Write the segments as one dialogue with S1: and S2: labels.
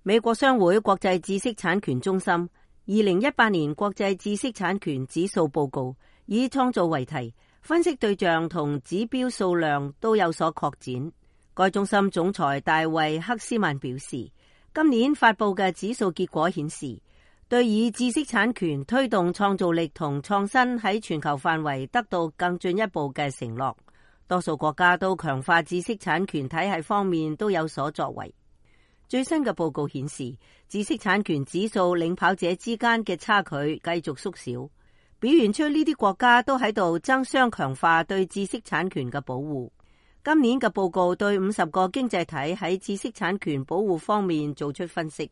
S1: 美國商會國際知識產權中心2018年國際知識產權指數報告以創造為題，分析對象同指標數量都有所擴展。該中心總裁大衛克斯曼表示，今年發佈嘅指數結果顯示，對以知識產權推動創造力同創新喺全球範圍得到更進一步嘅承諾。多數國家都強化知識產權體系方面都有所作為。最新嘅報告顯示，知識產權指數領跑者之間嘅差距繼續縮小，表現出呢啲國家都喺度爭相強化對知識產權嘅保護。今年嘅報告對50個經濟體喺知識產權保護方面做出分析，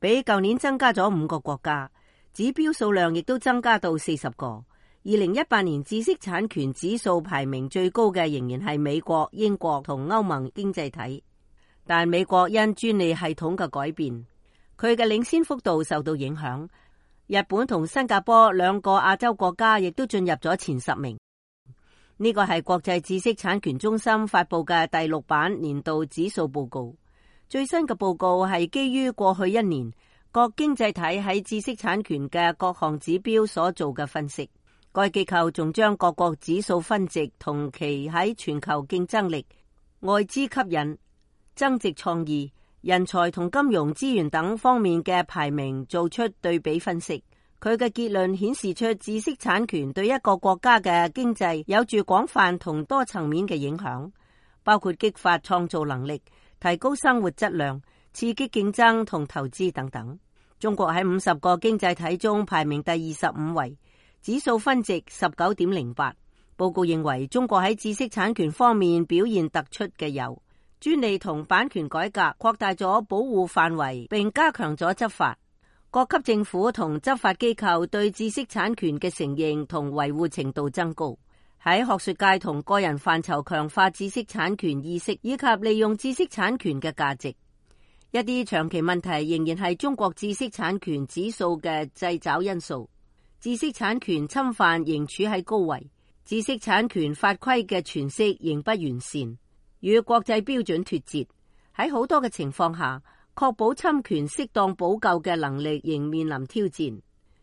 S1: 比舊年增加咗5個國家，指標數量亦都增加到40個。2018年知識產權指數排名最高嘅仍然係美國、英國同歐盟經濟體，但美國因專利系統嘅改變，佢嘅領先幅度受到影響。日本同新加坡2個亞洲國家亦都進入咗前10名。呢個係國際知識產權中心發佈嘅第6版年度指數報告。最新嘅報告係基於過去1年各經濟體喺知識產權嘅各項指標所做嘅分析。該機構仲將各國指數分值同其喺全球競爭力、外資吸引、增值創意、人才同金融資源等方面嘅排名做出對比分析。佢嘅結論顯示出知識產權對一個國家嘅經濟有住廣泛同多層面嘅影響，包括激發創造能力、提高生活質量、刺激競爭同投資等等。中國喺50個經濟體中排名第25位，指數分值 19.08。報告認為中國喺知識產權方面表現突出嘅有專利同版權改革，擴大咗保護範圍並加強咗執法。各級政府同執法機構對知識產權嘅承認同維護程度增高，喺學術界同個人範疇強化知識產權意識以及利用知識產權嘅價值。一啲長期問題仍然係中國知識產權指數嘅掣肘因素。知識產權侵犯仍處喺高位，知識產權法規嘅詮釋仍不完善，與國際標準脫節。喺好多嘅情況下，確保侵權適當補救嘅能力仍面臨挑戰，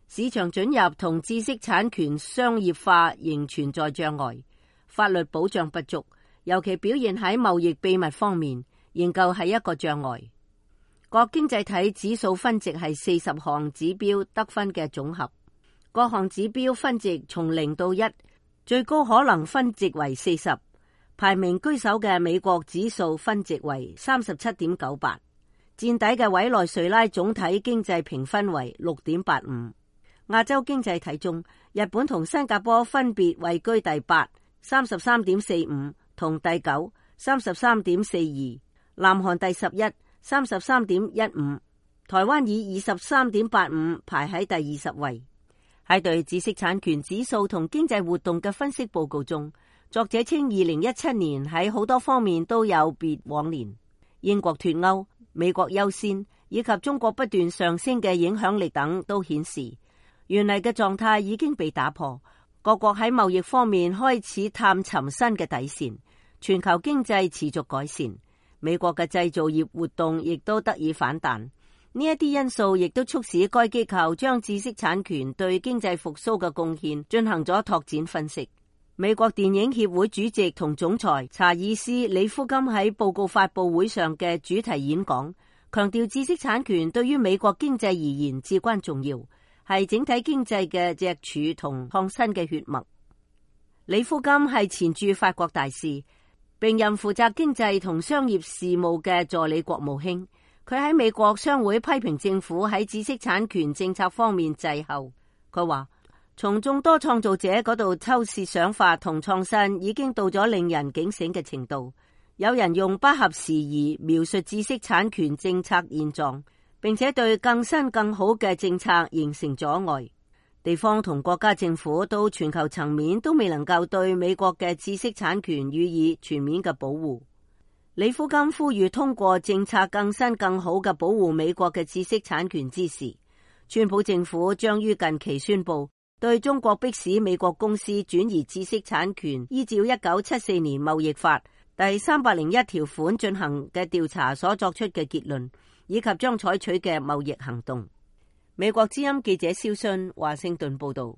S1: 市場准入同知識產權商業化仍存在障礙，法律保障不足，尤其表現喺貿易秘密方面，仍舊係一個障礙。各經濟體指數分值係40項指標得分嘅總合，各項指標分值從0到1，最高可能分值為40，排名居首嘅美國指數分值為 37.98。墊底嘅委內瑞拉總體經濟評分為 6.85。 亞洲經濟體中，日本同新加坡分別位居第8 33.45 同第9 33.42， 南韓第11 33.15， 台灣以 23.85 排喺第20位。喺對知識產權指數同經濟活動嘅分析報告中，作者稱2017年喺好多方面都有別往年。英國脫歐、美國優先以及中國不斷上升嘅影響力等都顯示，原嚟嘅狀態已經被打破。各國喺貿易方面開始探尋新嘅底線，全球經濟持續改善，美國嘅製造業活動亦都得以反彈。呢一啲因素亦都促使該機構將知識產權對經濟復甦嘅貢獻進行咗拓展分析。美國電影協會主席同總裁查爾斯·李夫金喺報告發佈會上嘅主題演講，強調知識產權對於美國經濟而言至關重要，係整體經濟嘅脊柱同創新嘅血脈。李夫金係前駐法國大使，並任負責經濟同商業事務嘅助理國務卿。佢喺美國商會批評政府喺知識產權政策方面滯後。佢話，從眾多創造者嗰度抽竊想法同創新已經到咗令人警醒嘅程度。有人用不合時宜描述知識產權政策現狀，並且對更新更好嘅政策形成阻礙。地方同國家政府到全球層面都未能夠對美國嘅知識產權予以全面嘅保護。李夫金呼籲通過政策更新更好嘅保護美國嘅知識產權之時，川普政府將於近期宣布對中國迫使美國公司轉移知識產權，依照1974年貿易法第301條款進行嘅調查所作出嘅結論，以及將採取嘅貿易行動。美國之音記者蕭信華盛頓報道。